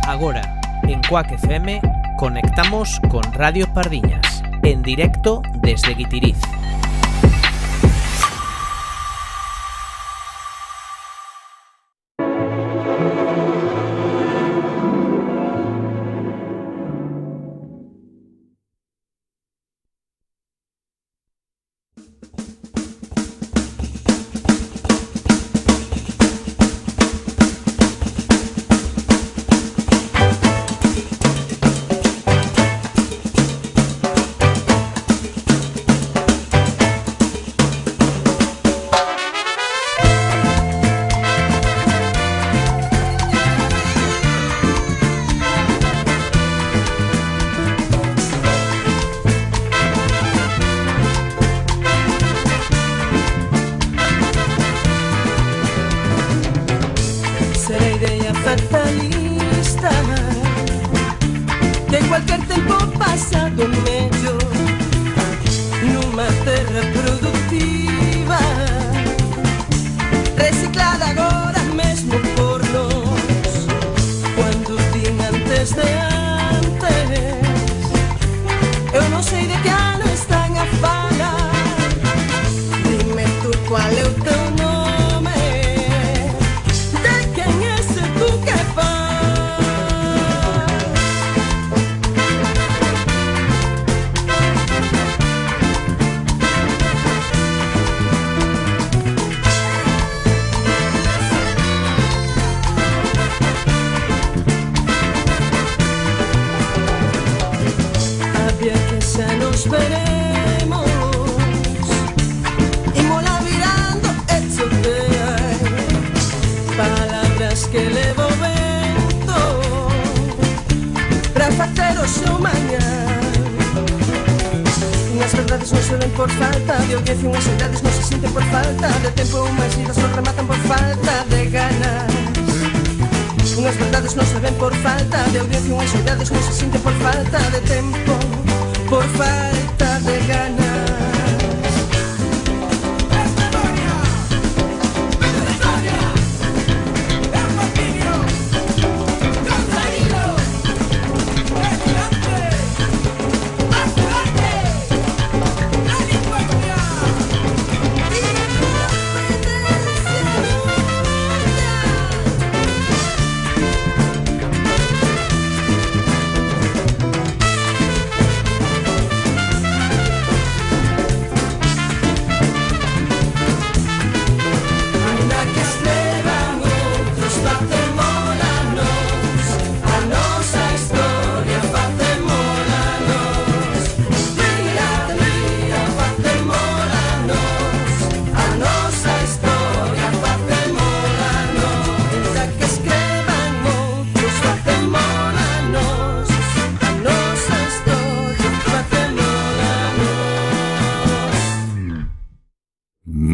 Agora, en Cuac FM, conectamos con Radio Pardiñas, en directo desde Guitiriz.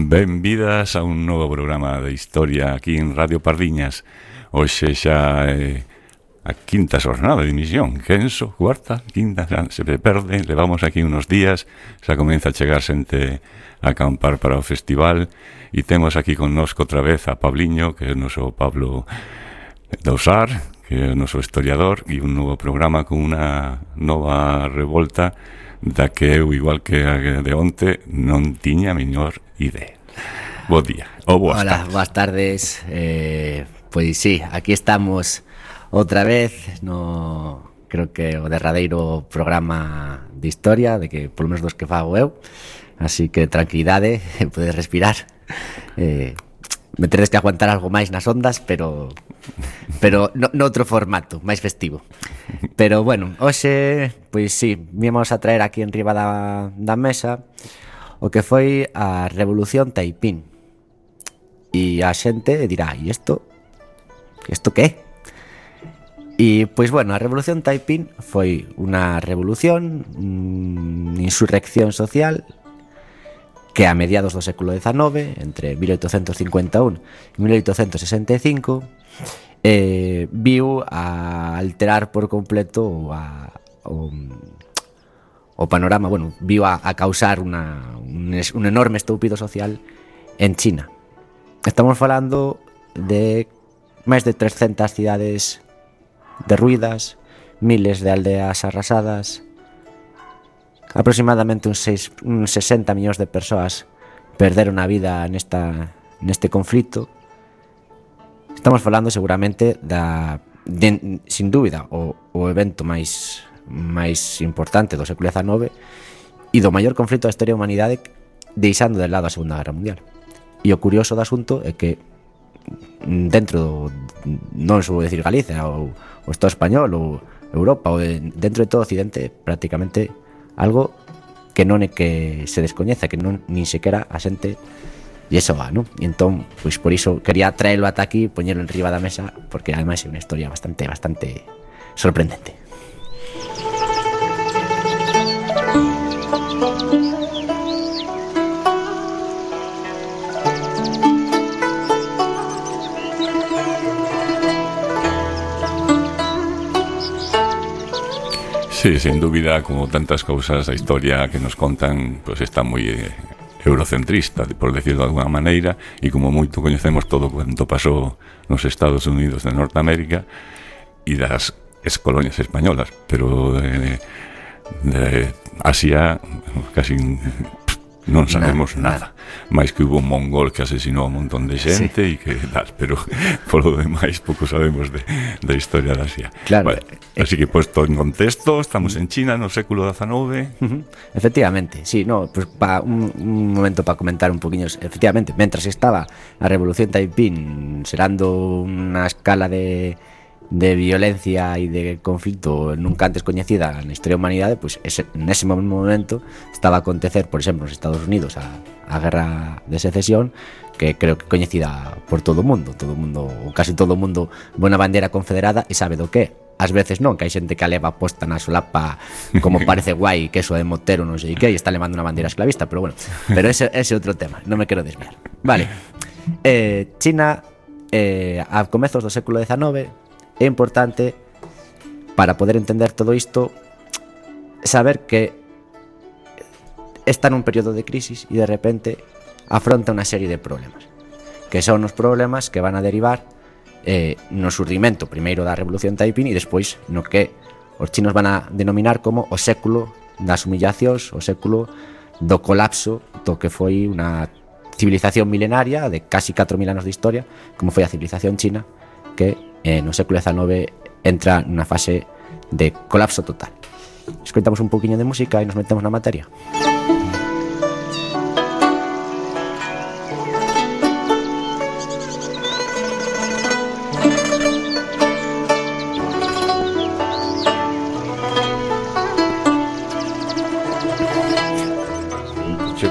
Benvidas a un novo programa de historia aquí en Radio Pardiñas. Hoxe xa é a quinta xornada de emisión. Quenso, cuarta, quinta, xa se perde. Levamos aquí unos días, xa comeza a chegar xente a acampar para o festival. E temos aquí connosco outra vez a Pabliño, que é o noso Pablo Dosar, que é o noso historiador, e un novo programa con unha nova revolta da que eu, igual que a de onte, non tiña a mellor idea. Bo día, ou boas tardes. Hola, boas tardes. Pois sí, aquí estamos outra vez no, creo que o derradeiro programa de historia, de que polo menos dos que fago eu. Así que tranquilidade, podes respirar. Me teres que aguantar algo máis nas ondas, pero noutro formato, máis festivo. Pero bueno, hoxe, pois sí, vimos a traer aquí en riba da mesa o que foi a Revolución Taiping. E a xente dirá, e isto que? E, pois bueno, a Revolución Taiping foi unha revolución, unha insurrección social que a mediados do século XIX, entre 1851 e 1865, viu a alterar por completo o panorama, bueno, viu a causar un enorme estoupido social en China. Estamos falando de máis de 300 cidades derruídas, miles de aldeas arrasadas, aproximadamente uns 60 millóns de persoas perderon a vida neste conflito. Estamos falando seguramente sin dúbida o evento máis importante do século XIX e do maior conflito da historia da humanidade, deixando de lado a Segunda Guerra Mundial. E o curioso do asunto é que dentro non sou decir Galicia ou o Estado español ou Europa ou dentro de todo Occidente, prácticamente algo que non é que se descoñeza, que non nin sequera a xente e eso va, non? E entón, pois por iso quería traelo ata aquí, poñelo en riba da mesa, porque ademais é unha historia bastante sorprendente. Sí, sin dúbida, como tantas cousas da historia que nos contan, pues está moi eurocentrista, por decirlo de alguna maneira, e como moito coñecemos todo quanto pasou nos Estados Unidos de Norteamérica e das excolonias españolas, pero de Asia casi non sabemos nada. Máis que hubo un mongol que asesinou a un montón de xente e que tal, pero polo demais pouco sabemos da historia de Asia. Claro. Vale. Así que posto en contexto, estamos en China no século XIX. Efectivamente, sí, no, pues un momento para comentar un poquinho. Efectivamente, mentras estaba a Revolución Taiping serando unha escala de violencia e de conflito nunca antes coñecida na historia da humanidade, pues nese momento estaba a acontecer, por exemplo, nos Estados Unidos a guerra de secesión, que creo que coñecida por todo o mundo, ou casi todo o mundo, ve unha bandeira confederada e sabe do que. Ás veces non, que hai xente que a leva posta na solapa como parece guai, que eso de motero non sei que, e está levando unha bandeira esclavista, pero bueno, pero ese outro tema, non me quero desviar. Vale, China a comezos do século XIX é importante para poder entender todo isto saber que está nun período de crisis e de repente afronta unha serie de problemas, que son os problemas que van a derivar no surdimento primeiro da Revolución Taiping e despois no que os chinos van a denominar como o século das humillacións, o século do colapso do que foi unha civilización milenaria de casi 4.000 anos de historia, como foi a civilización china, que no século XIX entra nunha fase de colapso total. Escoitamos un poquinho de música e nos metemos na materia.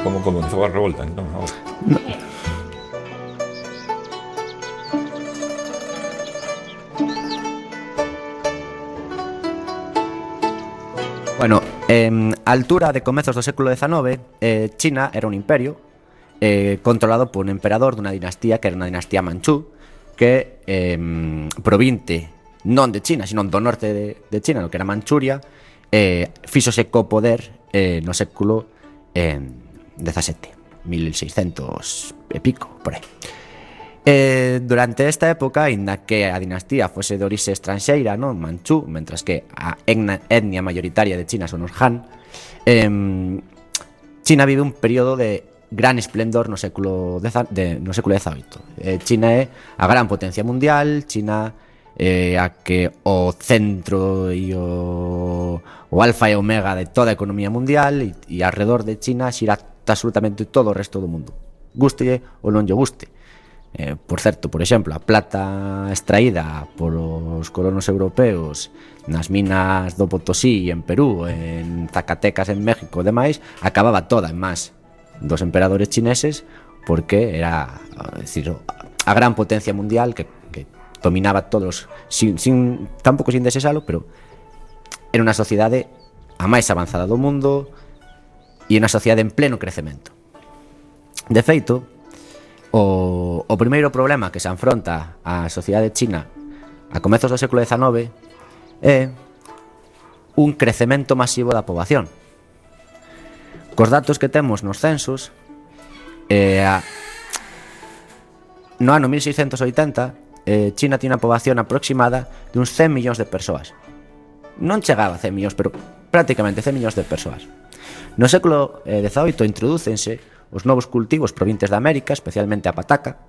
Como comenzou a revolta, entón, ahora. No. Bueno, a altura de comezos do século XIX, China era un imperio controlado por un emperador dunha dinastía que era unha dinastía manchú, que provinte non de China, sino do norte de China, no que era Manchuria, fíxose co poder no século 17, 1600 e pico, por aí. Durante esta época, aínda que a dinastía fose de orixe estranxeira, non, manchú, mentras que a etnia mayoritaria de China son os Han, China vive un período de gran esplendor no século XVIII. China é a gran potencia mundial, China a que o centro e o alfa e omega de toda a economía mundial, e alrededor de China xira absolutamente todo o resto do mundo, gústelle ou non lle guste. Por certo, por exemplo, a plata extraída por os colonos europeos nas minas do Potosí en Perú, en Zacatecas en México e demais, acababa toda en más dos emperadores chineses, porque era, decir, a gran potencia mundial que dominaba todos tampouco sin desexalo, pero era unha sociedade a máis avanzada do mundo e unha sociedade en pleno crecemento. De feito, o primeiro problema que se afronta a sociedade china a comezos do século XIX é un crecemento masivo da poboación. Cos datos que temos nos censos, no ano 1680 China tiene unha poboación aproximada de uns 100 millóns de persoas. Non chegaba a 100 millóns, pero prácticamente 100 millóns de persoas. No século XVIII introdúcense os novos cultivos provenientes de América, especialmente a pataca,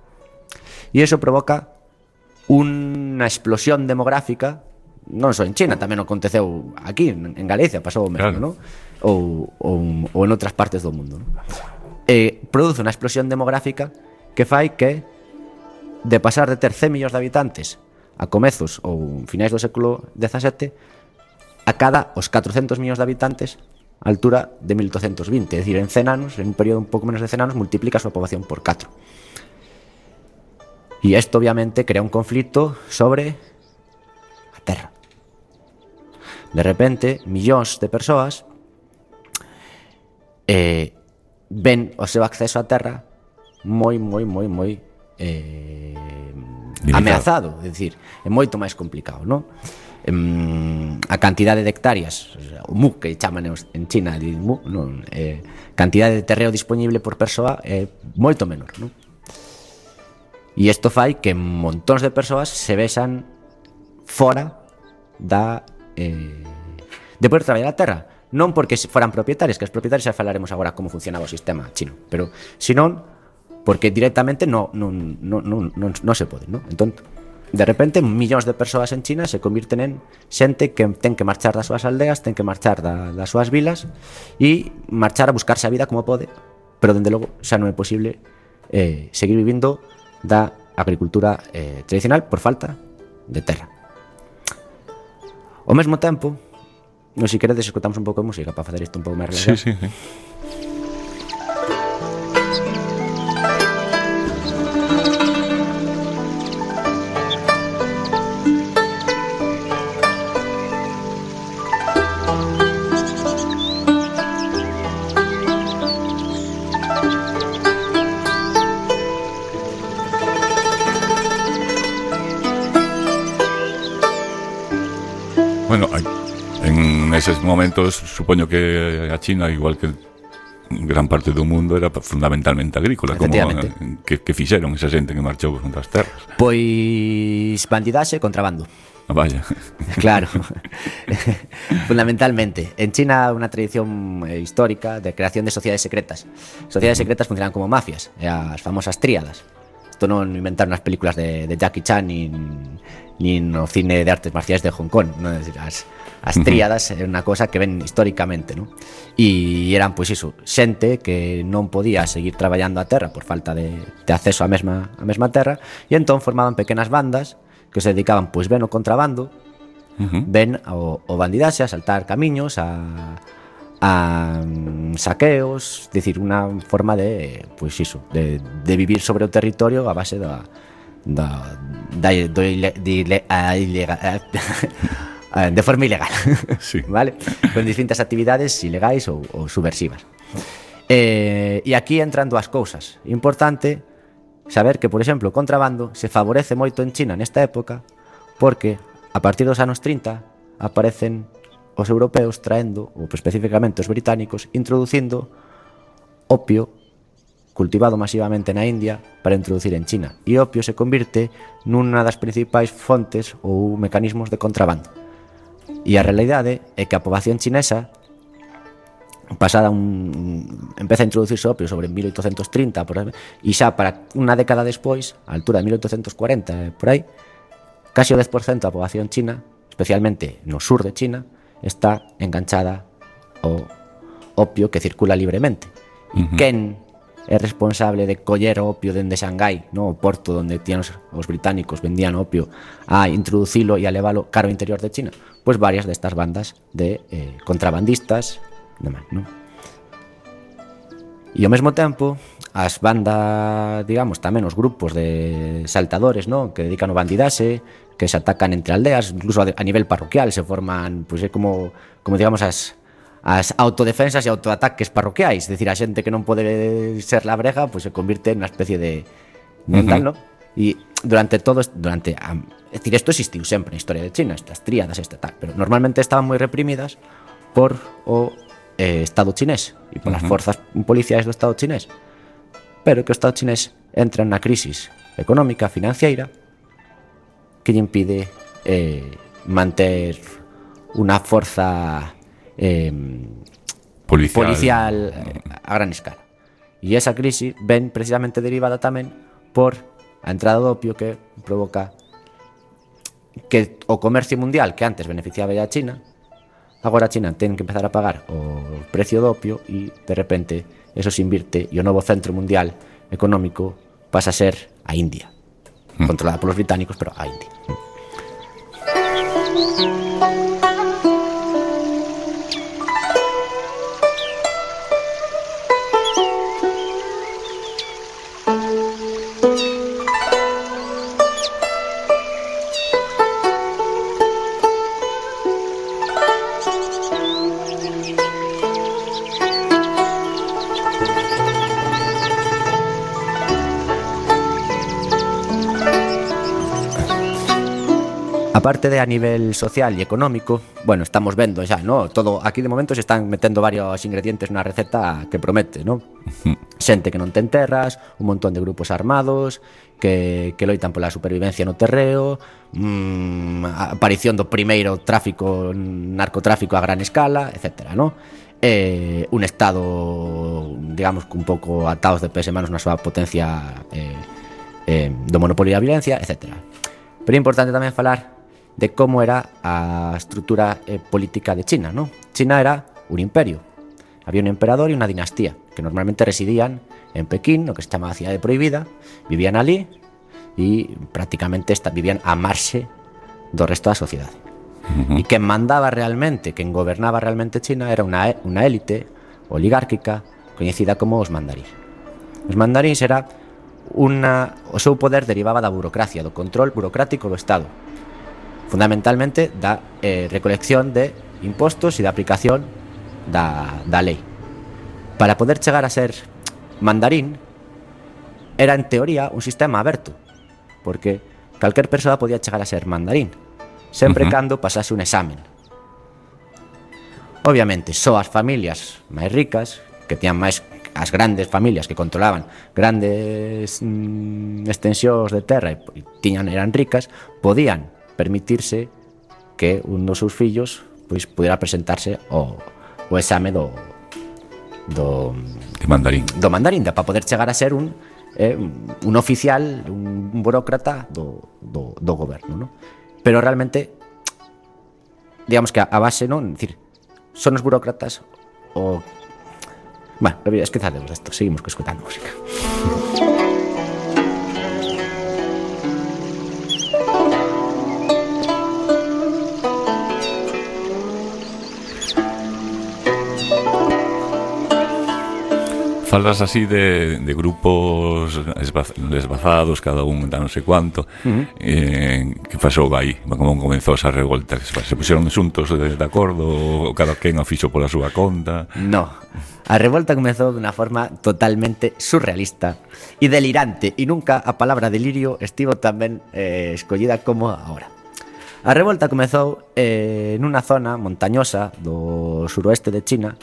e iso provoca unha explosión demográfica, non só en China, tamén aconteceu aquí, en Galicia, pasou o mesmo, claro. non? Ou en outras partes do mundo, non? Produce unha explosión demográfica que fai que, de pasar de ter 100 millóns de habitantes a comezos ou finais do século XVII, a cada os 400 millóns de habitantes a altura de 1820, é dicir, en 100 anos, en un período un pouco menos de 100 anos, multiplica a súa poboación por 4. E isto obviamente crea un conflito sobre a terra. De repente, millóns de persoas ven o seu acceso á terra moi ameazado, é dicir, é moito máis complicado, non? A cantidade de hectáreas, o mu que chaman en China de mu, non, cantidade de terreo disponible por persoa é moito menor, non? E isto fai que montóns de persoas se vexan fora de poder traballar a terra, non porque foran propietarios, que os propietarios xa falaremos agora como funcionaba o sistema chino, pero senón porque directamente non se pode, non? Entón, de repente, millóns de persoas en China se convirten en xente que ten que marchar das súas aldeas, ten que marchar das súas vilas e marchar a buscarse a vida como pode, pero dende logo xa non é posible seguir vivindo da agricultura tradicional por falta de terra. Ao mesmo tempo, non se queredes escutamos un pouco de música para facer isto un pouco máis relajado. Sí. Bueno, en eses momentos supoño que a China, igual que gran parte do mundo, era fundamentalmente agrícola. Como que fixeron esa xente que marchou contra as terras? Pois bandidaxe e contrabando. Vaya. Claro. Fundamentalmente. En China unha tradición histórica de creación de sociedades secretas. Sociedades secretas funcionan como mafias, as famosas tríadas. Isto non inventaron as películas de Jackie Chan nin o cine de artes marciais de Hong Kong, non? Es decir, as tríadas é unha cosa que ven históricamente, non? E eran, pois iso, xente que non podía seguir traballando a terra por falta de acceso á mesma terra, e entón formaban pequenas bandas que se dedicaban, pois, ben ao contrabando, ben ao bandidaxe, a saltar camiños, a saqueos, decir, unha forma de, pois iso, de vivir sobre o territorio a base de forma ilegal, sí. Vale? Con distintas actividades ilegais ou subversivas. E aquí entran dúas cousas. Importante saber que, por exemplo, o contrabando se favorece moito en China nesta época porque a partir dos anos 30 aparecen os europeos traendo, ou especificamente os británicos, introducindo opio cultivado masivamente na India para introducir en China. E o opio se convirte nunha das principais fontes ou mecanismos de contrabando. E a realidade é que a poboación chinesa empeza a introducirse opio sobre 1830 por aí, e xa para unha década despois, a altura de 1840 por aí, casi o 10% da poboación china, especialmente no sur de China, está enganchada ao opio que circula libremente. E quen é responsable de coller o opio dende Xangai, no? O porto onde tían os británicos vendían opio, a introducilo e a leválo cara ao interior de China? Pois varias destas bandas de contrabandistas, demais, non? E ao mesmo tempo, as bandas, digamos, tamén os grupos de saltadores, non? Que dedican o bandidaxe, que se atacan entre aldeas, incluso a nivel parroquial se forman, pois é como digamos, as autodefensas e autoataques parroquiais, é dicir, a xente que non pode ser labrega, pois se convirte nunha especie de tal, non? E durante é dicir, isto existiu sempre na historia de China, estas tríadas, tal, pero normalmente estaban moi reprimidas por o Estado chinés e polas forzas policiais do Estado chinés, pero que o Estado chinés entra na crisis económica, financiera, que lle impide manter unha forza policial a gran escala. E esa crise ven precisamente derivada tamén por a entrada do opio, que provoca que o comercio mundial, que antes beneficiaba a China, agora a China ten que empezar a pagar o precio do opio, e de repente eso se invirte e o novo centro mundial económico pasa a ser a India, controlada polos británicos, pero a India. Aparte de a nivel social e económico, bueno, estamos vendo xa, ¿no? Todo aquí de momento se están metendo varios ingredientes na receta que promete, ¿no? Xente que non ten terras, un montón de grupos armados que loitan pola supervivencia no terreo, aparición do primeiro narcotráfico a gran escala, etcétera, ¿no? Un estado, digamos, un pouco atados de pés e manos na súa potencia do monopolio da violencia, etcétera. Pero é importante tamén falar de como era a estrutura política de China, ¿no? China era un imperio. Había un emperador e unha dinastía que normalmente residían en Pekín, no que se chamaba Cidade Prohibida, vivían ali e prácticamente vivían a marxe do resto da sociedade. E quen mandaba realmente, quen gobernaba realmente China era unha élite oligárquica coñecida como os mandarís. Os mandarís era o seu poder derivaba da burocracia, do control burocrático do Estado, fundamentalmente da recolección de impostos e da aplicación da lei. Para poder chegar a ser mandarín era en teoría un sistema aberto, porque calquer persoa podía chegar a ser mandarín sempre cando pasase un examen. Obviamente só as familias máis ricas, que tiñan máis, as grandes familias que controlaban grandes extensións de terra e eran ricas, podían permitirse que un dos seus fillos pois pudera presentarse o exame do mandarín, para poder chegar a ser un oficial, un burócrata do goberno, ¿no? Pero realmente, digamos que a base, non, decir, son os burócratas o... Bueno, esquezademos desto, seguimos escutando música. Falas así de grupos desbazados, cada un da non sei cuánto. Que pasou aí? Como comenzou esa revolta? Se puxeron xuntos de acordo ou cada quen o fixo pola súa conta? No, a revolta comezou dunha forma totalmente surrealista e delirante, e nunca a palabra delirio estivo tamén escollida como agora. A revolta comezou nunha zona montañosa do suroeste de China,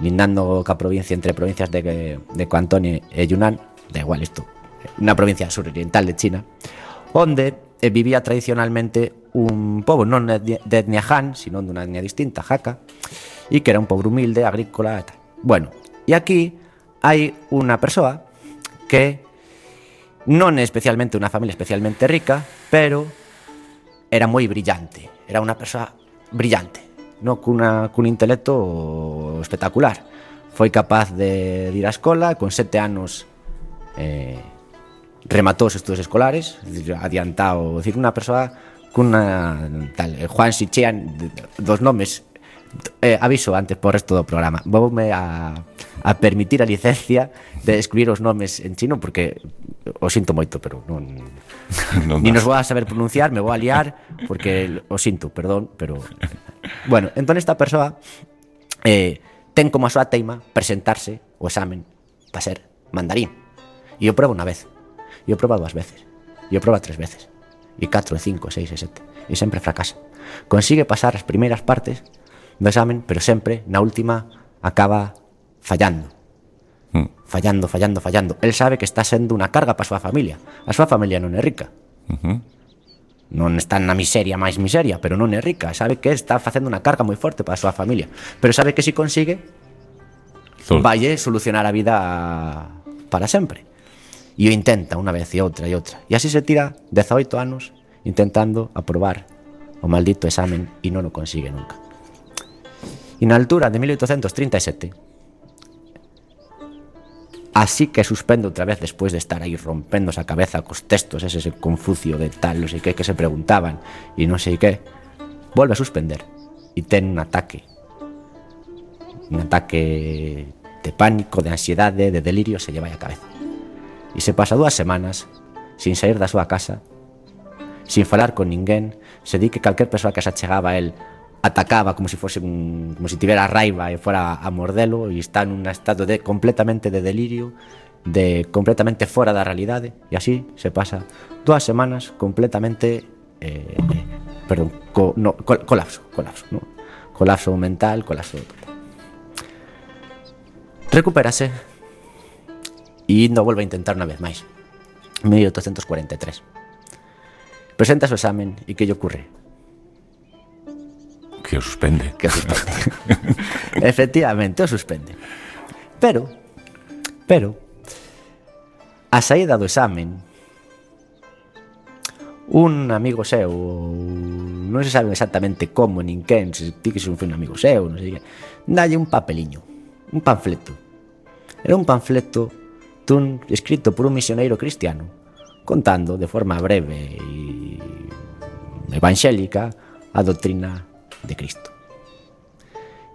lindando ca provincia, entre provincias de Cantón e Yunnan, da igual isto, unha provincia suroriental de China, onde vivía tradicionalmente un pobo non de etnia Han, sino dunha etnia distinta, Hakka, e que era un pobo humilde, agrícola e tal. Bueno, e aquí hai unha persoa que non é especialmente unha familia especialmente rica, pero era moi brillante, era unha persoa brillante, no, cun intelecto espectacular. Foi capaz de ir á escola, con 7 anos rematou os estudos escolares, adiantado, decir, unha persoa cunha tal, Juan Xichean, dos nomes, aviso antes por resto do programa, voume a permitir a licencia de escribir os nomes en chino, porque o sinto moito, pero non ni nos vou a saber pronunciar, me vou a liar, porque o sinto, perdón, pero bueno, entón esta persoa ten como a súa teima presentarse o examen para ser mandarín, e o proba unha vez, e o proba 2 veces, e o proba 3 veces, e 4, 5, 6 e 7, e sempre fracasa. Consigue pasar as primeiras partes do examen, pero sempre na última acaba fallando. Fallando. El sabe que está sendo unha carga para a súa familia. A súa familia non é rica. non está na miseria máis miseria, pero non é rica, sabe que está facendo unha carga moi forte para a súa familia, pero sabe que se consigue valle solucionar a vida para sempre. E o intenta unha vez e outra, e así se tira 18 anos intentando aprobar o maldito examen e non o consigue nunca. E na altura de 1837, así que suspende outra vez despois de estar aí rompéndose a cabeza cos textos ese Confucio de tal, non sei que se preguntaban e non sei que, volve a suspender e ten un ataque de pánico, de ansiedade, de delirio, se lle vai a cabeza e se pasa 2 semanas sin sair da súa casa, sin falar con ninguén, se di que calquer persoa que se achegaba a él atacaba como si fose como si tivera raiva e fora a mordelo, e está en un estado completamente de delirio, de completamente fora da realidade, e así se pasa 2 semanas completamente colapso mental, colapso total. Recupérase e non volve a intentar unha vez máis. 1843 presenta o examen e que lle ocurre? Que o suspende. Efectivamente, o suspende. Pero a saída do examen, un amigo seu, non se sabe exactamente como nin quen, se ti que son un amigo seu, non sei que, dalle un papeliño, un panfleto. Era un panfleto escrito por un misioneiro cristiano, contando de forma breve e evangélica a doutrina de Cristo.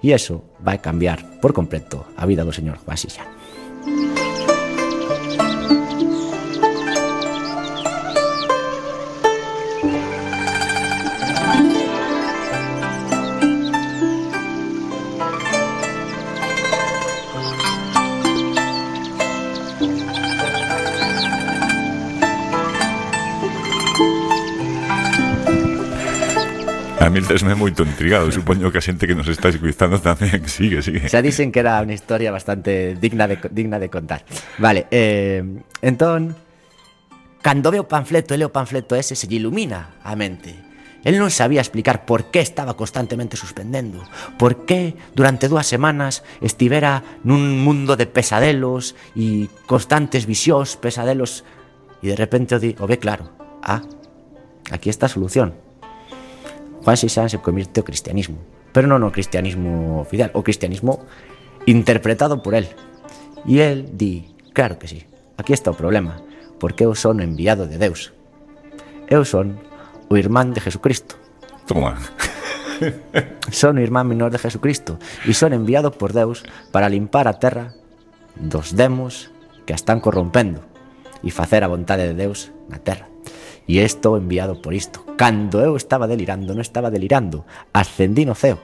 E eso vai cambiar por completo a vida do señor Juan Sixán. A mí esme moito intrigado, supoño que a xente que nos está escuitando tamén. Sigue. Xa dicen que era unha historia bastante digna de contar. Vale, entón, cando ve o panfleto e lee o panfleto ese, se lle ilumina a mente. El non sabía explicar por que estaba constantemente suspendendo, por que durante 2 semanas estivera nun mundo de pesadelos e constantes visións, pesadelos, e de repente o ve claro. Aquí está a solución. Juan Sixán se convirte ao cristianismo, pero non o cristianismo oficial, o cristianismo interpretado por él. E él di, claro que sí, aquí está o problema, porque eu son o enviado de Deus. Eu son o irmán de Jesucristo. Toma. Son o irmán menor de Jesucristo e son enviado por Deus para limpar a terra dos demos que a están corrompendo e facer a vontade de Deus na terra. E estou enviado por isto. Cando eu estaba delirando, non estaba delirando, ascendí no ceo.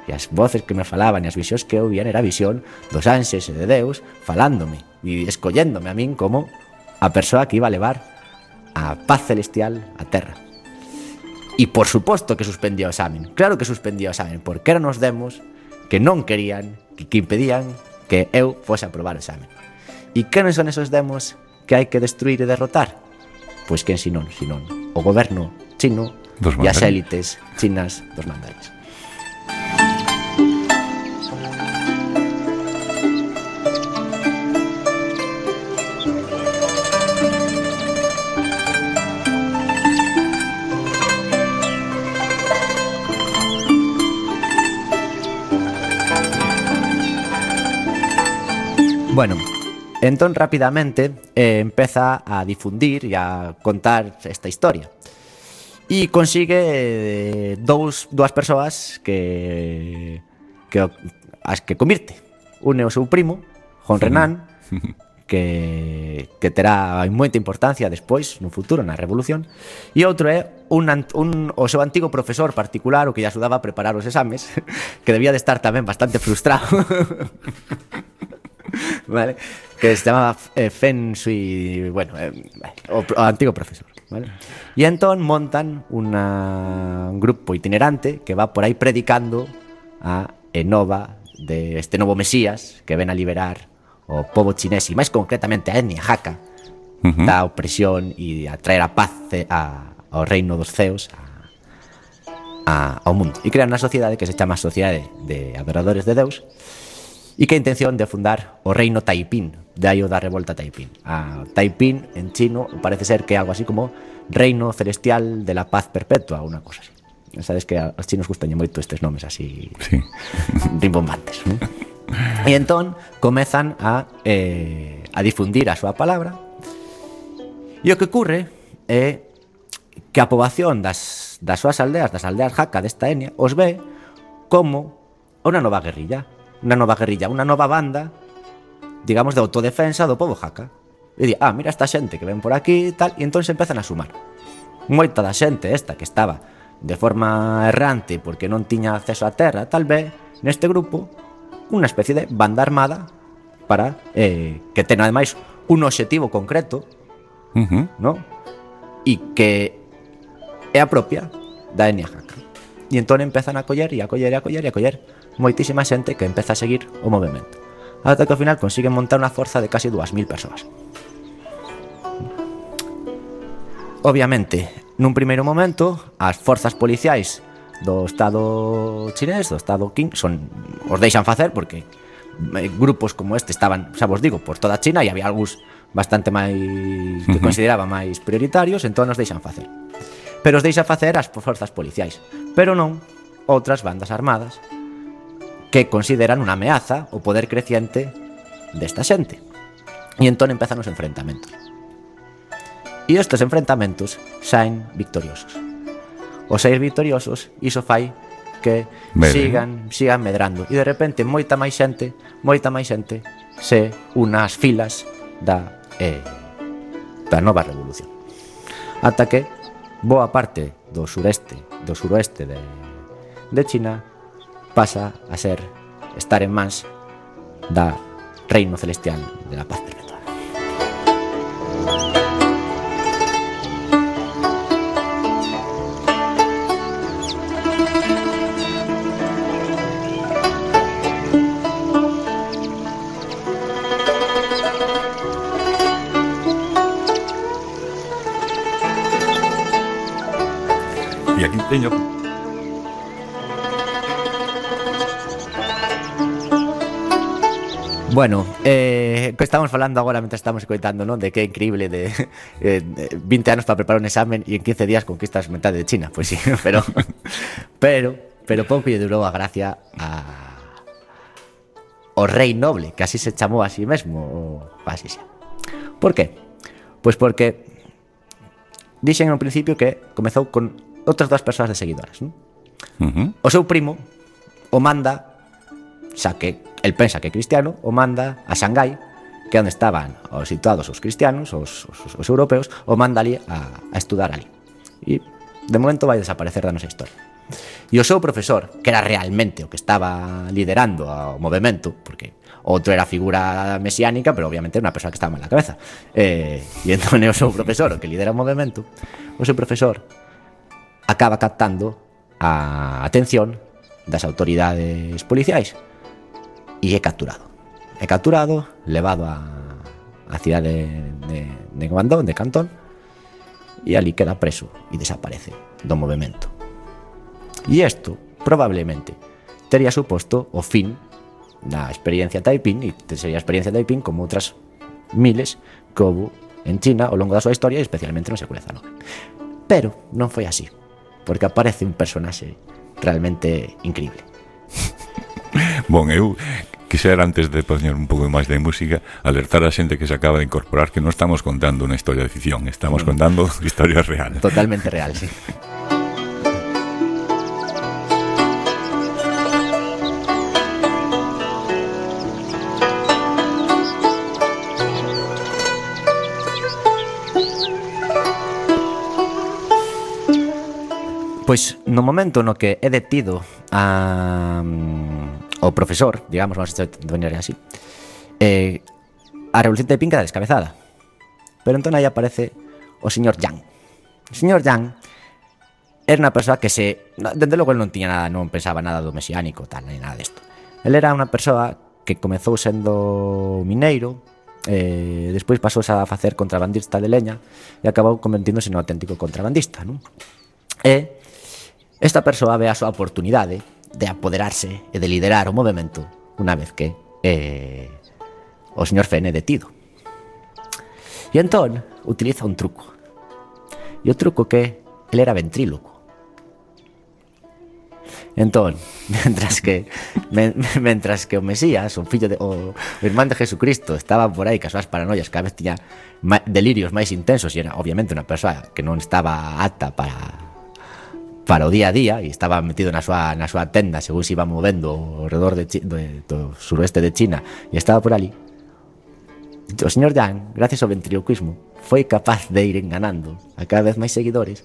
E as voces que me falaban e as visións que eu vían era visión dos ánxeles e de Deus falándome e escolléndome a min como a persoa que iba a levar a paz celestial á terra. E por suposto que suspendía o examen. Claro que suspendía o examen, porque eran os demos que non querían, que impedían que eu fose a aprobar o examen. E que non son esos demos que hai que destruir e derrotar? Pois quen senón o goberno chino e as élites chinas dos mandarins. Bueno, entón rapidamente empeza a difundir e a contar esta historia e consigue dúas persoas as que convirte. Un é o seu primo, Juan Renan, que terá moita importancia despois, no futuro, na Revolución, e outro é o seu antigo profesor particular, o que lle axudaba a preparar os exames, que debía de estar tamén bastante frustrado. Vale, que se chamaba Feng Shui, bueno, o antigo profesor, vale? E entón montan un grupo itinerante que va por aí predicando a enova de este novo mesías que ven a liberar o pobo chinés e máis concretamente a etnia Hakka da opresión e a traer a paz ao reino dos ceos, ao mundo. E crean unha sociedade que se chama Sociedade de Adoradores de Deus, e que a intención de fundar o reino Taipín, de aí o da revolta Taipín. A Taipín, en chino, parece ser que é algo así como Reino Celestial de la Paz Perpetua, unha cosa así. Sabes que aos chinos gustan moito estes nomes así, sí, rimbombantes, ¿no? E entón comezan a difundir a súa palabra, e o que ocurre é que a poboación das súas aldeas, das aldeas Hakka desta etnia, os ve como unha nova guerrilla, unha nova banda, digamos, de autodefensa do pobo Hakka. E di, mira esta xente que ven por aquí e tal, e entón se empezan a sumar. Moita da xente esta que estaba de forma errante porque non tiña acceso á terra, tal vez neste grupo unha especie de banda armada para que ten ademais un obxectivo concreto, ¿no? E que é a propia da etnia Hakka. E entón empezan a coller moitísima xente que empeza a seguir o movemento, ata que ao final consiguen montar unha forza de casi 2000 persoas. Obviamente, nun primeiro momento, as forzas policiais do Estado chinés, do Estado Qing, os deixan facer porque grupos como este estaban, xa vos digo, por toda China, e había algúns bastante máis que consideraba máis prioritarios, entón os deixan facer. Pero os deixan facer as forzas policiais, pero non outras bandas armadas que consideran unha ameaza o poder creciente desta xente. E entón empezan os enfrentamentos. E estes enfrentamentos saen victoriosos. Os sair victoriosos, iso fai que sigan medrando. E de repente moita máis xente se una ás filas da nova revolución. Ata que boa parte do suroeste de China pasa a estar en mans da Reino Celestial de la Paz Perpetua. E aquí teño... Bueno, que estamos falando agora mentre estamos escoitando, non? De que é increíble de 20 anos para preparar un examen e en 15 días conquistas metade de China. Pois sí, pero pouco lle durou a gracia o rei noble, que así se chamou a sí mesmo, así xa. Por qué? Pois porque dixen no principio que comezou con outras 2 persoas de seguidoras, non? O seu primo o manda, xa que el pensa que é cristiano, o manda a Shanghái, que é onde estaban situados os cristianos, os europeos, o manda ali a estudar ali. E de momento vai desaparecer da nosa historia. E o seu profesor, que era realmente o que estaba liderando o movimento, porque outro era a figura mesiánica, pero obviamente era unha persoa que estaba mal na cabeza, e entón é o seu profesor o que lidera o movimento. O seu profesor acaba captando a atención das autoridades policiais e é capturado, levado a cidade de Guangdong, de Cantón, e ali queda preso e desaparece do movimento. E isto probablemente tería suposto o fin da experiencia Taiping, e sería a experiencia Taiping como outras miles que houve en China ao longo da súa historia, especialmente no século XIX. Pero non foi así, porque aparece un personaxe realmente increíble. Bon, eu quixera, antes de poñer un pouco máis de música, alertar a xente que se acaba de incorporar que non estamos contando unha historia de ficción, estamos contando historia real. Totalmente real, sí. Pois no momento no que é detido o profesor, digamos, vamos a definir así, a revolución Taiping queda descabezada. Pero entón aí aparece o señor Yang. O señor Yang era unha persoa que dende logo non tiña nada, non pensaba nada do mesiánico, tal, nem nada desto. El era unha persoa que comezou sendo mineiro, despois pasou a facer contrabandista de leña e acabou convertíndose no auténtico contrabandista, non? E esta persoa ve a súa oportunidade de apoderarse e de liderar o movimento unha vez que o señor Fene é detido. E entón utiliza un truco. E o truco que ele era ventríloco. Entón, mentras que o Mesías, o fillo o irmán de Jesucristo, estaba por aí cas súas paranoias, cada vez tiña delirios máis intensos e era obviamente unha persoa que non estaba apta para o día a día e estaba metido na súa tenda según se iba movendo ao redor do suroeste de China e estaba por ali. O señor Yang, gracias ao ventriloquismo, foi capaz de ir enganando a cada vez máis seguidores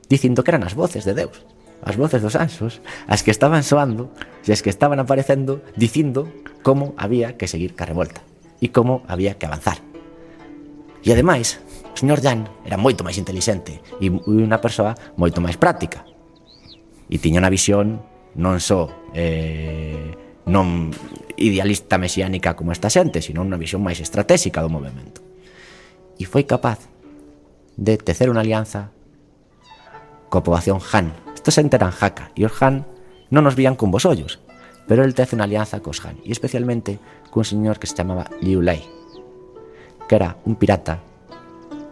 dicindo que eran as voces de Deus, as voces dos anxos, as que estaban soando e as que estaban aparecendo dicindo como había que seguir ca revolta e como había que avanzar. E ademais, o señor Yang era moito máis intelixente e unha persoa moito máis práctica e tiña unha visión non só non idealista mesiánica como esta xente, sino unha visión máis estratégica do movimento. E foi capaz de tecer unha alianza coa poboación Han. Estos xente eran Hakka, e os Han non nos vían con vos ollos, pero el tece unha alianza cos Han, e especialmente cun señor que se chamaba Liu Lei, que era un pirata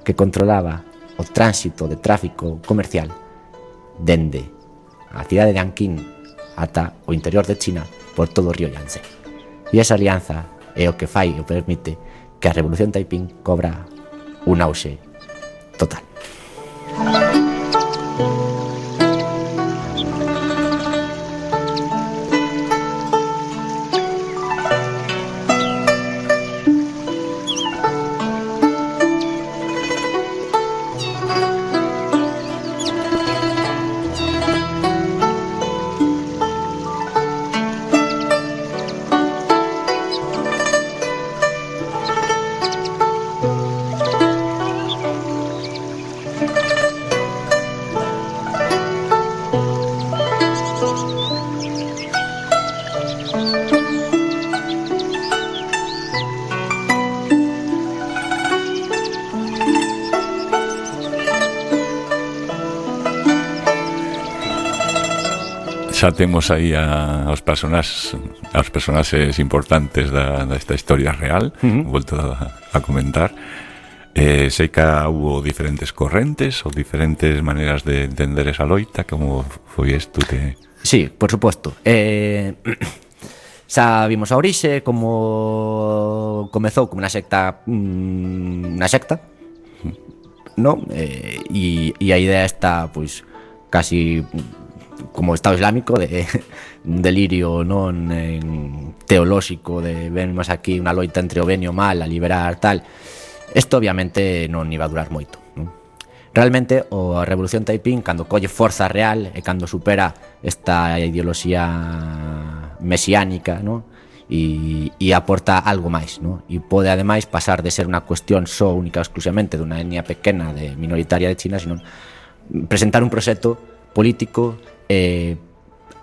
que controlaba o tránsito de tráfico comercial dende a cidade de Anqing ata o interior de China por todo o río Yangtze. E esa alianza é o que fai e o permite que a Revolución Taiping cobra un auxe total. Xa temos aí aos personaxes importantes desta historia real, volto a comentar. Sei que hubo diferentes correntes ou diferentes maneiras de entender esa loita. Como foi isto que... Sí, por suposto. Xa vimos a orixe, como comezou como unha secta, non? E a idea está, pois, casi como Estado Islámico, de un delirio non teolóxico, de vemos aquí unha loita entre o ben e o mal, a liberar tal. Isto obviamente non iba a durar moito, non? Realmente a Revolución Taiping, cando colle forza real e cando supera esta ideoloxía mesiánica, non? E aporta algo máis, non? E pode ademais pasar de ser unha cuestión só única exclusivamente dunha etnia pequena de minoritaria de China, sino presentar un proxecto político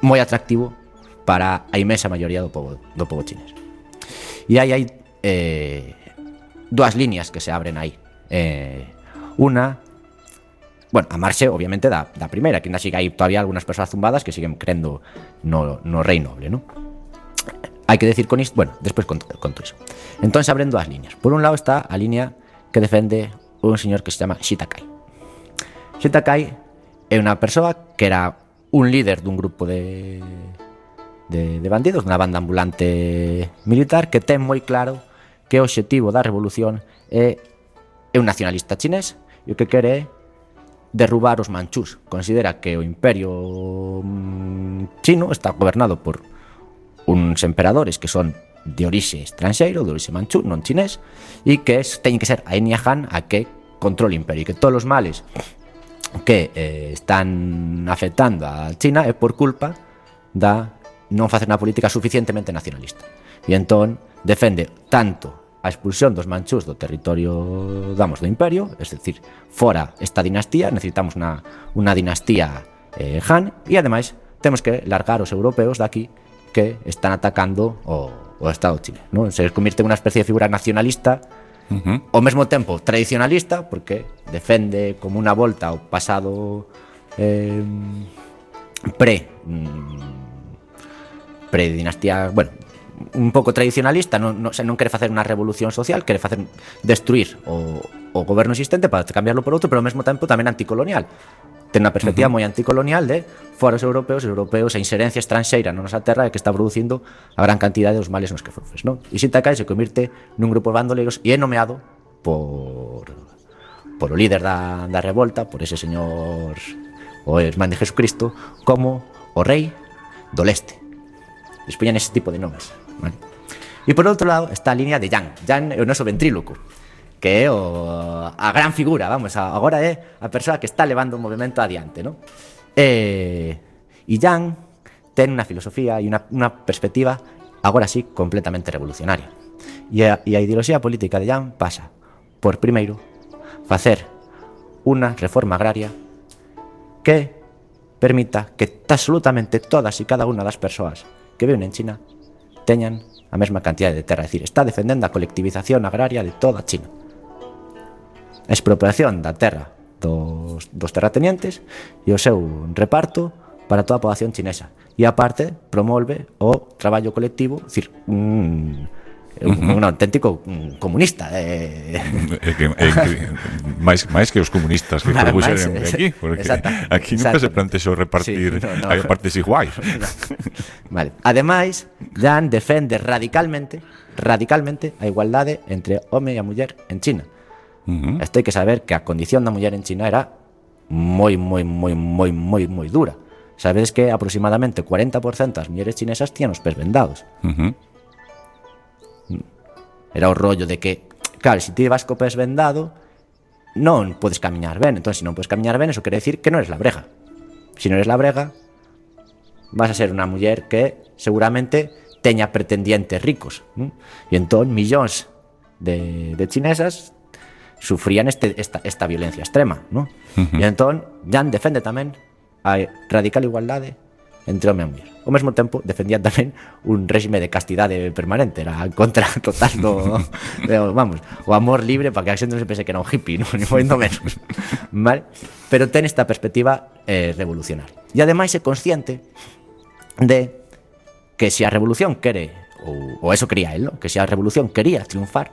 moi atractivo para a inmensa maioría do povo chinés. E hai dúas líneas que se abren aí. Una, bueno, a marxe obviamente da primeira, que ainda sigue hai todavía algunhas persoas zumbadas que siguen crendo no rei noble, non? Hai que decir con isto, bueno, despois conto iso. Entón se abren dúas líneas. Por un lado está a línea que defende un señor que se chama Shi Takai. Shi Takai é unha persoa que era un líder dun grupo de bandidos, unha banda ambulante militar, que ten moi claro que o obxectivo da revolución é un nacionalista chinés e o que quere é derrubar os manchús. Considera que o imperio chino está gobernado por uns emperadores que son de orixe estranxeiro, de orixe manchú, non chinés, e que teñen que ser a etnia Han a que controle o imperio, e que todos os males que están afectando a China é por culpa da non facer unha política suficientemente nacionalista. E entón defende tanto a expulsión dos manchús do territorio, do imperio, es decir, fora esta dinastía, necesitamos unha dinastía Han, e ademais temos que largar os europeos daqui que están atacando o Estado de Chile, ¿no? Se convierte en unha especie de figura nacionalista, ao mesmo tempo tradicionalista, porque defende como unha volta ao pasado pre-dinastía, bueno, un pouco tradicionalista, non quere facer unha revolución social, quere facer destruir o goberno existente para cambiarlo por outro, pero ao mesmo tempo tamén anticolonial. Ten unha perspectiva moi anticolonial de fora os europeos a inserencia estranxeira na nosa terra que está producindo a gran cantidade dos males nos que sofres, non? E Sintakai se convirte nun grupo de bandoleiros e é nomeado por o líder da revolta, por ese señor o irmán de Jesucristo, como o rei do leste. Les poñan ese tipo de nomes, vale? E por outro lado está a línea de Jan. Jan é o noso ventríloco, que é a gran figura, vamos, agora é a persoa que está levando o movimento adiante, non? E Jan ten unha filosofía e unha perspectiva agora sí completamente revolucionaria. E a ideoloxía política de Jan pasa por, primeiro, facer unha reforma agraria que permita que absolutamente todas e cada unha das persoas que viven en China teñan a mesma cantidad de terra. É dicir, está defendendo a colectivización agraria de toda China. A expropiación da terra dos terratenientes e o seu reparto para toda a poboación chinesa. E aparte promove o traballo colectivo, é dicir, un auténtico comunista. máis que os comunistas que propuxeron aquí, porque aquí nunca se plantexou repartir a partes iguais. Vale. Ademais, Jan defende radicalmente a igualdade entre home e a muller en China. Isto hai que saber que a condición da muller en China era moi dura. Sabedes que aproximadamente 40% das mulleres chinesas tían os pés vendados. Era o rollo de que, claro, se ti vas co pés vendado non podes camiñar ben. Entón, se non podes camiñar ben, eso quere decir que non eres labrega. Se non eres labrega, vas a ser unha muller que seguramente teña pretendientes ricos, e entón millóns de chinesas sufrían esta violencia extrema, ¿no? E entón Jan defende tamén a radical igualdade entre home e muller. Ao mesmo tempo defendían tamén un réxime de castidade permanente, era en contra total vamos, o amor libre para que a xente non se pense que era un hippie, non? Ni moito menos, vale? Pero ten esta perspectiva revolucionaria. E ademais é consciente de que se a revolución quere, ou eso quería él, ¿no? Que se a revolución quería triunfar,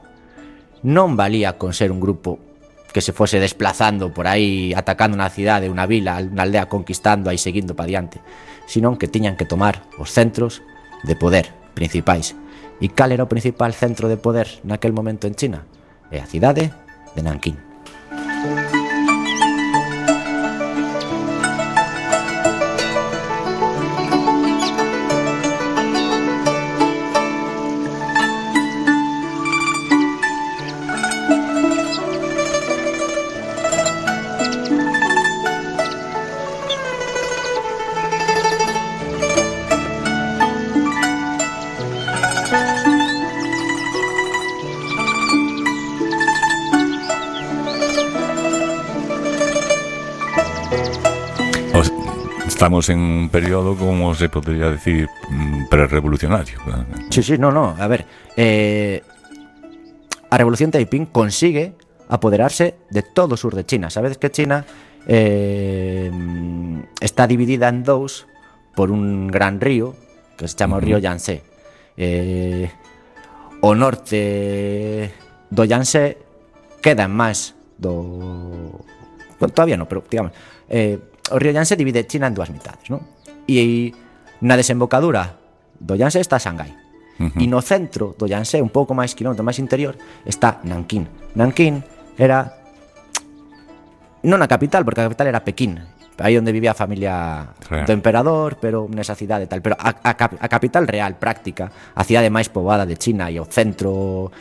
non valía con ser un grupo que se fose desplazando por aí, atacando unha cidade, unha vila, unha aldea, conquistando aí, seguindo para diante, senón que tiñan que tomar os centros de poder principais. E cal era o principal centro de poder naquel momento en China? É a cidade de Nankín. Estamos en un periodo, como se podría decir, pre-revolucionario. Sí, no, a ver, a revolución Taiping consigue apoderarse de todo o sur de China. Sabedes que China está dividida en dous por un gran río que se chama o río Yangtze. O norte do Yangtze queda en máis do... Bueno, todavía non, pero digamos... o río Yangtze divide China en dúas mitades, non? E na desembocadura do Yangtze está Shanghái. E no centro do Yangtze, un pouco máis quilómetro máis interior, está Nankín. Nankín era non a capital, porque a capital era Pekín, aí onde vivía a familia do emperador, pero nesa cidade tal, pero a capital real, práctica, a cidade máis poboada de China e o centro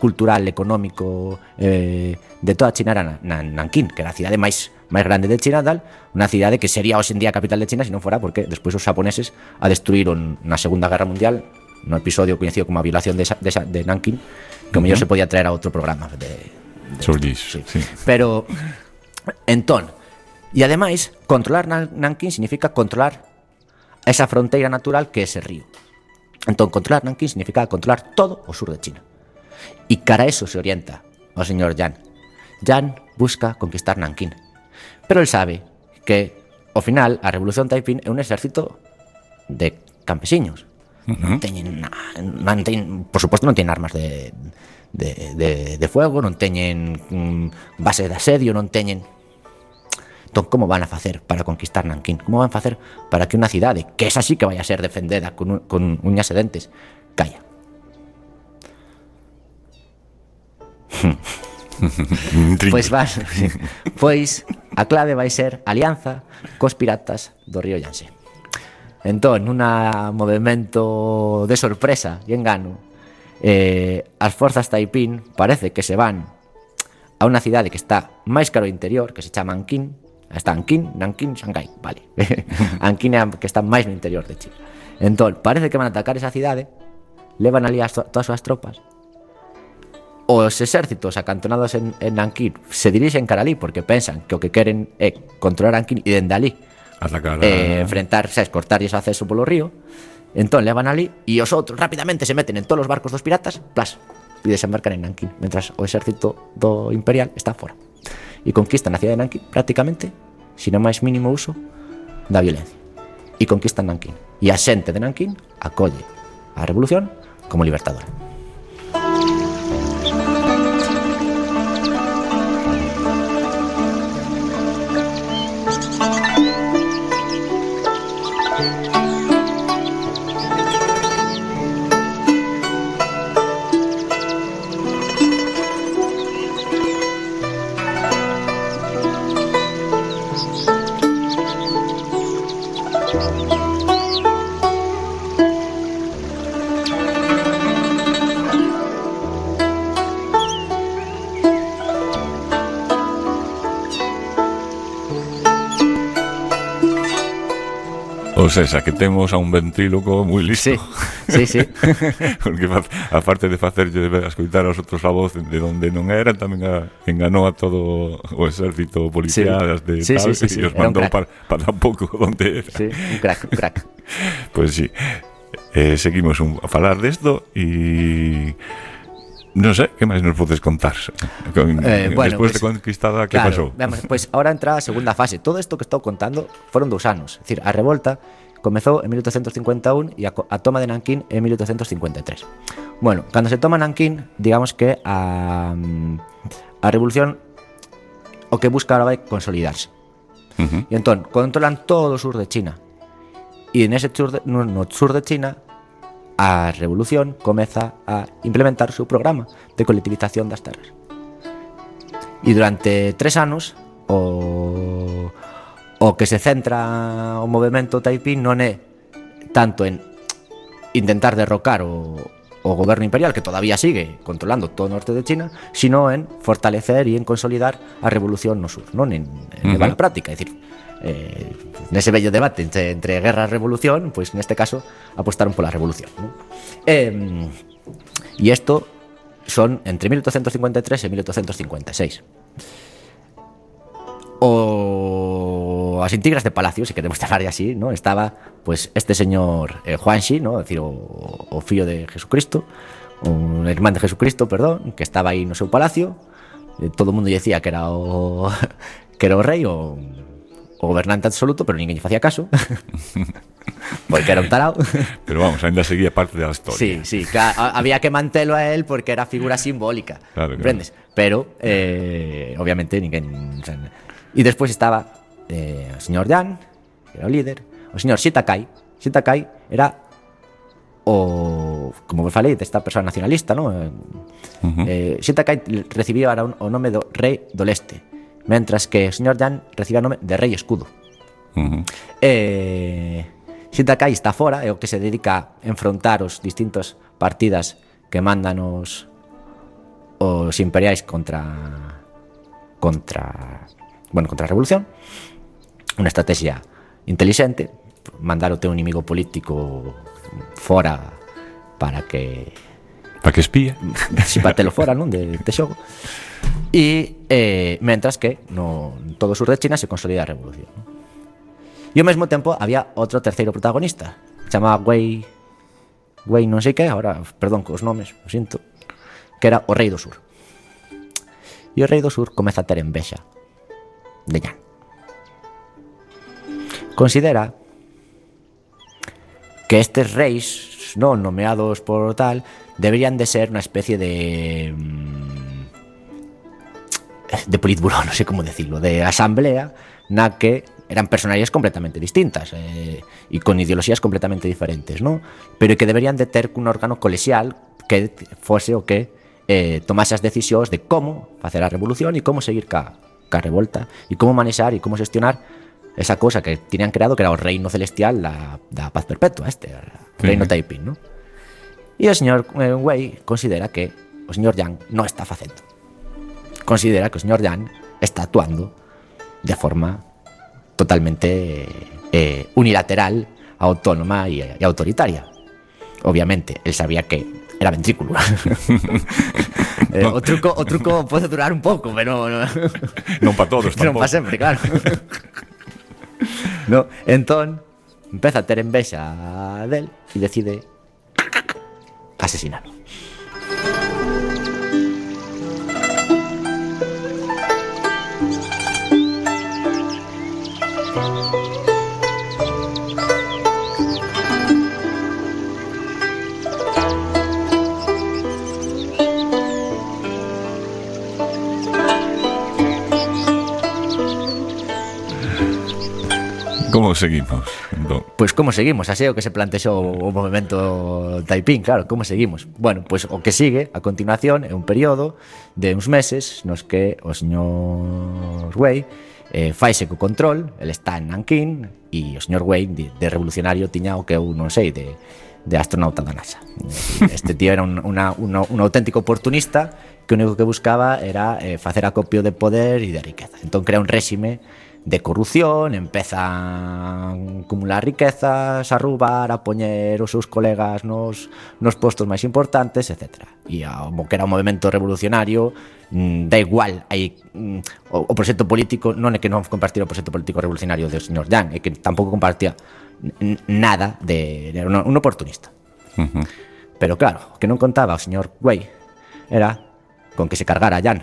cultural, económico de toda China era Nankín, que era a cidade máis grande de China, tal, unha cidade que sería hoxe en día a capital de China se non fora porque despois os japoneses a destruíron na Segunda Guerra Mundial, no episodio conhecido como a violación de Nankín, que o mellor se podía traer a outro programa sí. Pero entón, e ademais controlar Nankín significa controlar esa fronteira natural que é ese río. Entón, controlar Nankín significa controlar todo o sur de China. E cara a eso se orienta o señor Yan. Yan busca conquistar Nankín, pero él sabe que, ao final, a Revolución Taiping é un exército de campesiños. Non teñen, por suposto, non teñen armas de fuego, non teñen base de asedio, non teñen... Entón, como van a facer para conquistar Nankín? Como van a facer para que unha cidade, que esa sí que vai a ser defendida con uñas e dentes, caia? Pois a clave vai ser alianza cos piratas do río Yangtze. Entón, nun movimento de sorpresa e engano, as forzas Taiping parece que se van a unha cidade que está máis cara ao interior, que se chama Anqing. Está Anqing, Nanking, Shanghai, vale. Anqing é que está máis no interior de China. Entón, parece que van a atacar esa cidade, levan ali todas as súas tropas. Os exércitos acantonados en Nanking se dirixen cara ali porque pensan que o que queren é controlar Anqing e dende ali enfrentarse, cortarlles o acceso polo río. Entón levan ali e os outros rapidamente se meten en todos os barcos dos piratas, plas, e desembarcan en Nanking, mentras o exército do imperial está fora. E conquistan a cidade de Nanking prácticamente sin o máis mínimo uso da violencia. E conquistan Nanking. E a xente de Nanking acolle a revolución como libertadora. O sea, que temos a un ventríloco moi listo. Sí. Porque aparte de facerlle escoitar aos outros a voz de onde non era, tamén enganou a todo o exército policial de tal, e os mandou para tampouco onde era. Sí, un crack. Pues sí. Seguimos a falar desto e... Non sei, que máis nos podes contar? Despois de conquistada, que pasou? Pois ahora entra a segunda fase. Todo isto que estou contando foron 2 anos. É dicir, a revolta comezou en 1851 e a toma de Nankín en 1853. Bueno, cando se toma Nankín, digamos que a revolución o que busca ahora vai consolidarse. E entón, controlan todo o sur de China. E no sur de China a revolución comeza a implementar o seu programa de colectivización das terras. E durante 3 anos o que se centra o movemento Taiping non é tanto en intentar derrocar o goberno imperial, que todavía sigue controlando todo o norte de China, sino en fortalecer e en consolidar a revolución no sur, non en levar a práctica. É dicir, nese bello debate entre guerra e revolución, pois neste caso apostaron pola revolución, ¿no? E isto son entre 1853 e 1856. As intrigas de palacio, se queremos falar así, ¿no? Estaba pues este señor Huangxi, ¿no? Es decir, o fillo de Jesucristo, un irmán de Jesucristo, perdón, que estaba aí no seu palacio. Todo o mundo decía que era o rei, o gobernante absoluto, pero ninguén lle facía caso porque era un tarao. Pero vamos, ainda seguía parte da historia. Sí, había que mantelo a él porque era figura simbólica, comprendes? Pero obviamente ninguén. E despois estaba o señor Yan, que era o líder, o señor Shitakai era como vos falei, desta persoa nacionalista, ¿no? Shitakai recibía o nome do rei do leste, mentras que o señor Yan recibía o nome de rei escudo. Shitakai está fora, é o que se dedica a enfrontar os distintos partidas que mandan os imperiais contra a revolución. Unha estrategia intelixente, mandar o teu inimigo político fora para que espía, si para telo fora, non, de xogo. E mentras que no todo o sur de China se consolida a revolución, ¿no? E ao mesmo tempo había outro terceiro protagonista, chamaba Wei Wei non sei que, ahora, perdón cos nomes, o sinto, que era o rei do sur. E o rei do sur comeza a ter envexa de Yan. Considera que estes reis, non nomeados por tal, deberían de ser unha especie de politburó, non sei como decirlo, de asamblea na que eran personalidades completamente distintas e con ideoloxías completamente diferentes, non? Pero que deberían de ter un órgano colexial que fose o que tomase as decisións de como facer a revolución e como seguir ca revolta e como manexar e como xestionar esa cosa que tiñan creado, que era o reino celestial da paz perpetua, o reino Taiping, non? E o señor Wei considera que o señor Yan non está facendo. Considera que o señor Yan está actuando de forma totalmente unilateral, autónoma e autoritaria. Obviamente, él sabía que era ventrículo. O truco pode durar un pouco, pero non para todos tampouco. Non para sempre, claro. No, entón empeza a ter envexa del e decide asesinarlo. Como seguimos? Pois como seguimos? Así é o que se plantexou o movemento Taiping, claro, como seguimos? Bueno, pois o que sigue a continuación é un período de uns meses nos que o señor Wei faise co control, ele está en Nanquín e o señor Wei de revolucionario tiña o que eu non sei de astronauta da NASA. Este tío era un auténtico oportunista que o único que buscaba era facer acopio de poder e de riqueza. Entón crea un réxime de corrupción, empeza a acumular riquezas, a roubar, a poñer os seus colegas nos postos máis importantes, etc. E como que era un movimento revolucionario, da igual, hai o proxecto político non é que non compartira o proxecto político revolucionario do señor Yang, é que tampouco compartía nada era un oportunista. Pero claro, o que non contaba o señor Wei era con que se cargara a Yan,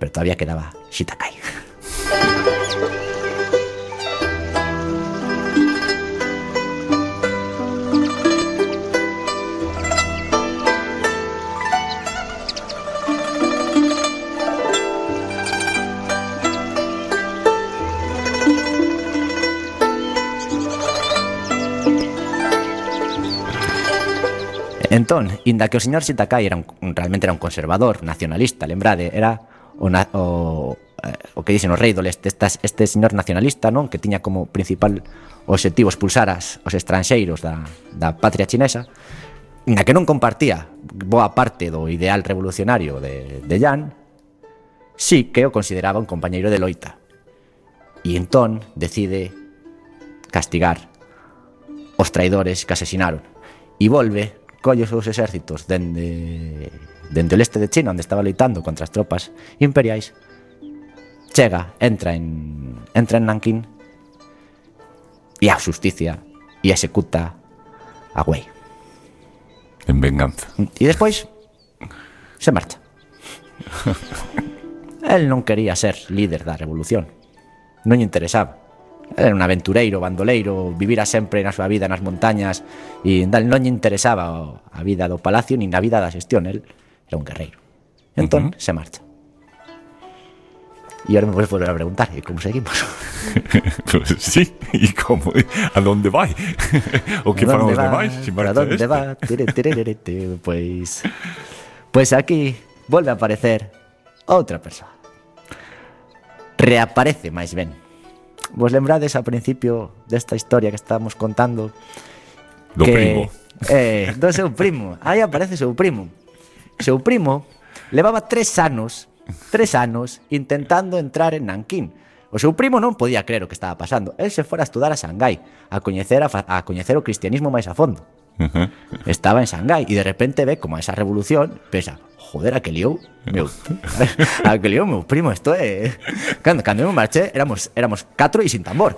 pero todavía quedaba Shitakai. Entón, inda que o señor Shitakai realmente era un conservador, nacionalista, lembrade, era o que dicen o rei do leste, este señor nacionalista, non, que tiña como principal obxectivo expulsar os estranxeiros da patria chinesa, inda que non compartía boa parte do ideal revolucionario de Yan, sí que o consideraba un compañeiro de loita. E entón decide castigar os traidores que asesinaron e volve, colle os seus exércitos dende o leste de China, onde estaba loitando contra as tropas imperiais, chega, entra en Nanquín e a xusticia e executa a Wei en venganza. E despois se marcha. El non quería ser líder da revolución, non lle interesaba. Era un aventureiro, bandoleiro, vivira sempre na súa vida nas montañas e non lle interesaba a vida do palacio nin a vida da xestión. El era un guerreiro. Entón, se marcha. E ahora me podes volver a preguntar, e como seguimos? Pues sí, e como? A donde vai? O que fan os demais? A donde va? Pois aquí volve a aparecer outra persoa. Reaparece máis ben. Vos lembrades ao principio desta historia que estábamos contando do primo? Do seu primo. Aí aparece seu primo. Seu primo levaba 3 anos intentando entrar en Nanquín. O seu primo non podía creer o que estaba pasando. El se fora a estudar a Shanghái, a coñecer o cristianismo máis a fondo. Estaba en Shanghái e de repente ve como esa revolución, pensa, joder, a que liou meu primo, isto é... Cando eu marché éramos 4 e sin tambor.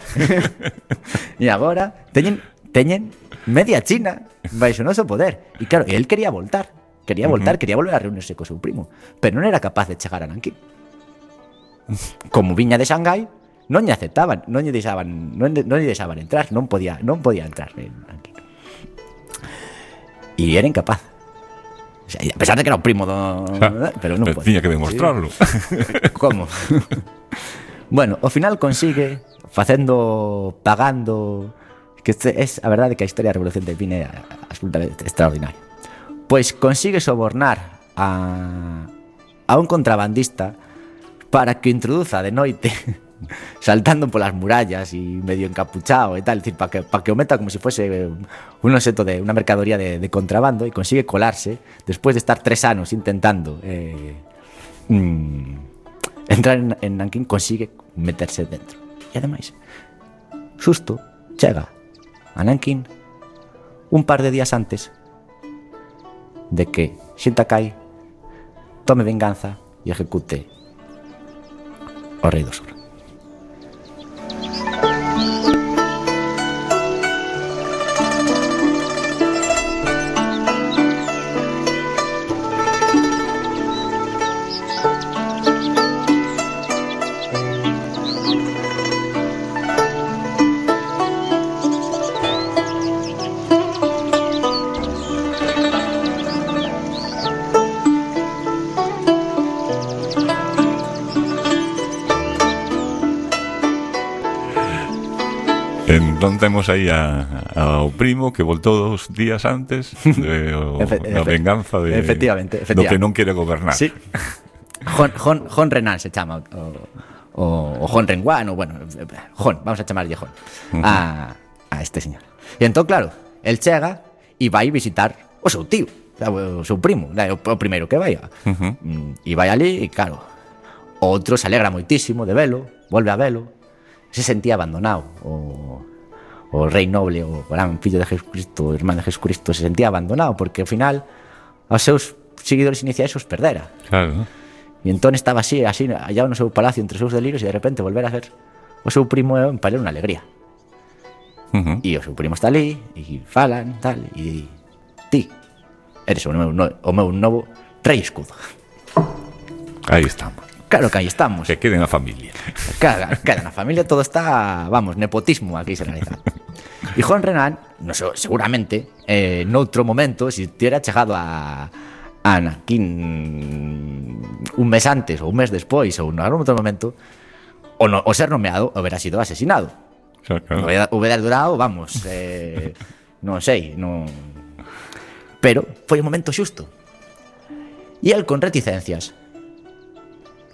E agora teñen teñen media China baixo o noso poder. E claro, el quería voltar, quería volver a reunirse co seu primo, pero non era capaz de chegar a Nankín. Como viña de Xangai, non lle aceptaban, non lle deixaban entrar, non podía entrar en Nankín. E era incapaz. O sea, a pesar de que era o primo pero non podía. Tiña que demostrarlo. Como? Bueno, ao final consigue pagando, que es a verdade que a historia da Revolución de Pine é absolutamente extraordinaria. Pois consigue sobornar a un contrabandista para que introduza de noite saltando polas murallas e medio encapuchado e tal, es decir, para que o meta como si fuese un objeto de una mercadoría de contrabando, e consigue colarse despois de estar 3 anos intentando entrar en Nankín, consigue meterse dentro. E ademais, xusto chega a Nankín un par de días antes de que Shintakai tome venganza e ejecute o rei do sur. Entón temos aí ao primo que voltou 2 días antes da venganza de efectivamente. Do que non quere gobernar. Sí. Hon Renan se chama o Hon Renguan, o bueno, Hon, vamos a chamarlle Hon a este señor. E entón, claro, el chega e vai visitar o seu tío, o seu primo, o primeiro que vai. E vai ali e, claro, o outro se alegra moitísimo de velo, volve a velo, se sentía abandonado. O rei noble, o gran fillo de Jesucristo, o irmán de Jesucristo, se sentía abandonado porque ao final aos seus seguidores iniciais os perdera. Claro. E entón estaba así allá no seu palacio entre os seus delirios, e de repente volver a ver o seu primo é para unha alegría. E o seu primo está ali e falan tal, e ti eres o meu novo rei escudo. Aí estamos. Claro que aí estamos. Que quede na familia. Queda na familia, todo está, vamos, nepotismo aquí se realiza. E Hon Renan, no sé, seguramente, noutro momento, se tiera chegado a Nankín un mes antes ou un mes despois ou en algún outro momento, o ser nomeado hubiera sido asesinado. Claro. Hubiera durado, vamos, non sei, non... Pero foi o momento xusto. E el con reticencias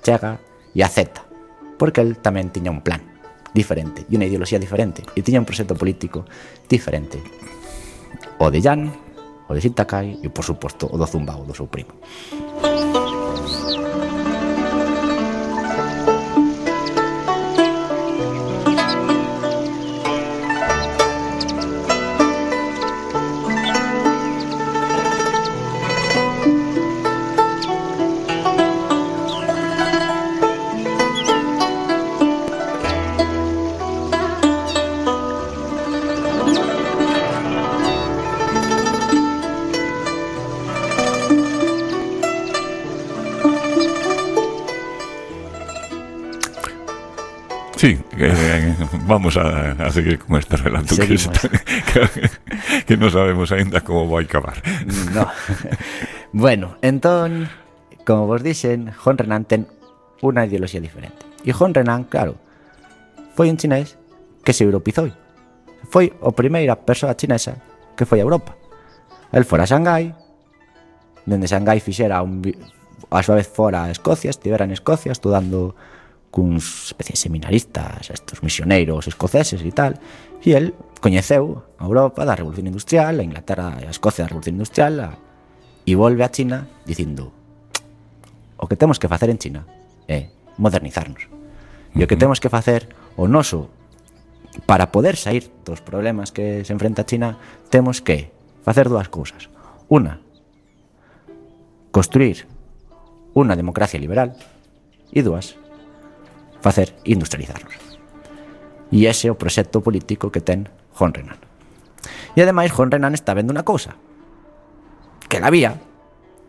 chega e acepta, porque el tamén tiña un plan diferente e unha ideoloxía diferente, e tiña un proxecto político diferente, o de Yan, o de Shintakai e, por suposto, o do Zumbao, do seu primo. Sí, vamos a seguir con este relato que non sabemos ainda como vai acabar. No. Bueno, entón, como vos dixen, Hon Renan ten unha ideoloxía diferente. E Hon Renan, claro, foi un chinés que se europeizou. Foi a primeira persoa chinesa que foi a Europa. El fora a Xangai, dende Xangai fixera a súa vez fora a Escocia, estivera en Escocia estudando cuns especies seminaristas, estos misioneiros escoceses e tal, e el coñeceu a Europa da Revolución Industrial, a Inglaterra e a Escocia da Revolución Industrial, e volve a China dicindo: o que temos que facer en China é modernizarnos, e o que temos que facer o noso para poder sair dos problemas que se enfrenta a China, temos que facer dúas cousas. Una, construir unha democracia liberal, e dúas, facer industrializarnos. E ese é o proxecto político que ten Hon Renan. E ademais Juan Renan está vendo unha cousa que la había,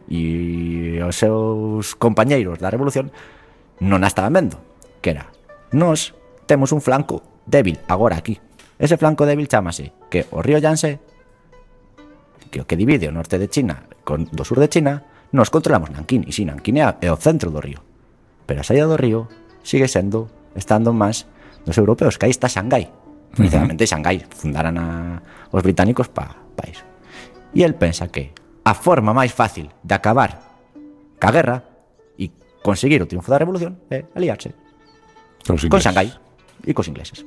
e os seus compañeiros da revolución non a estaban vendo, que era: nós temos un flanco débil agora aquí. Ese flanco débil chámase que o río Yangtze, que o que divide o norte de China do sur de China, nos controlamos Nankín, e si Nankín é o centro do río, pero a saída do río sigue estando máis dos europeos, que aí está Xangai. Precisamente Xangai fundaran os británicos pa iso. E el pensa que a forma máis fácil de acabar ca guerra e conseguir o triunfo da revolución é aliarse con Xangai e cos ingleses.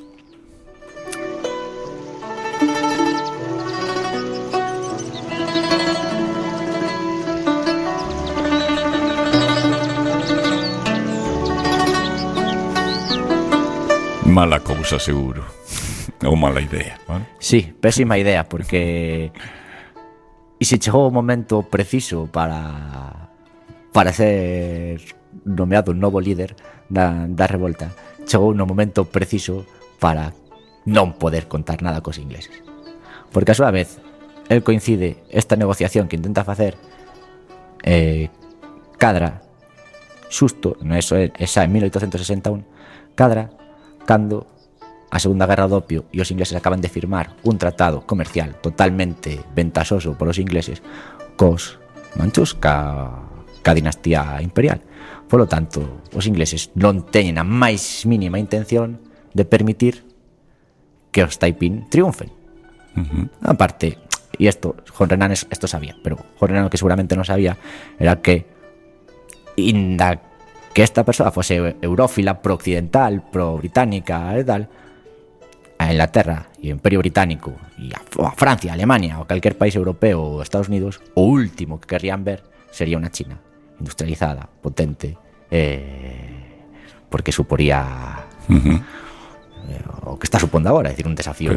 Mala cousa, seguro. Ou mala idea, ¿vale? Sí, pésima idea, porque e se chegou o momento preciso para ser nomeado un novo líder da revolta, chegou no momento preciso para non poder contar nada cos ingleses, porque a súa vez el coincide esta negociación que intenta facer cadra xusto, esa en 1861, cadra cando a Segunda Guerra do Opio e os ingleses acaban de firmar un tratado comercial totalmente ventaxoso polos ingleses cos manchus, ca dinastía imperial. Polo tanto, os ingleses non teñen a máis mínima intención de permitir que os Taiping triunfen. Aparte, e isto Juan Renan esto sabía, pero Juan Renan o que seguramente non sabía era que inda que esta persoa fose eurófila, pro-occidental, pro-británica e tal, a Inglaterra e o Imperio Británico e a Francia, a Alemania ou calquer país europeo ou Estados Unidos, o último que querrían ver sería unha China industrializada, potente, porque suporía o que está supondo agora, é dicir, un desafío